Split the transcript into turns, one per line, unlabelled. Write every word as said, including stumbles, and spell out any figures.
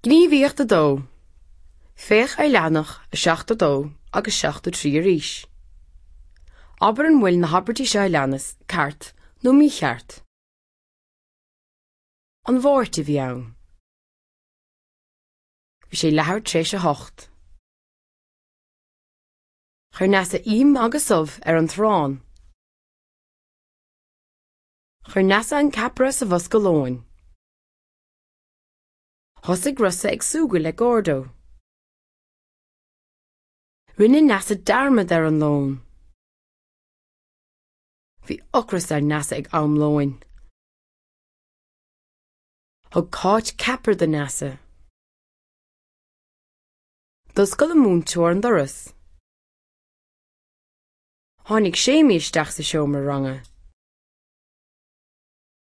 Gníomhaíocht a dó. Féach ar leathanach a seachtó dó agus seachtó trí arís. Abair an bhfuil na habairtí seo a leanas ceart nó mícheart. An Mháirt a bhí ann. Bhí sé leathuair tar éis a hocht. Chuir Neasa im agus ubh ar an t-arán. Chuir Neasa an ceapaire sa bhosca lóin. Thosaigh Rossa ag súgradh le Gordo. Rinne Neasa dearmad ar an lón. Bhí ocras ar Neasa ag am lóin. Thug Cáit ceapaire do Neasa. D'oscail an múinteoir an doras. Tháinig Séimí isteach sa seomra ranga.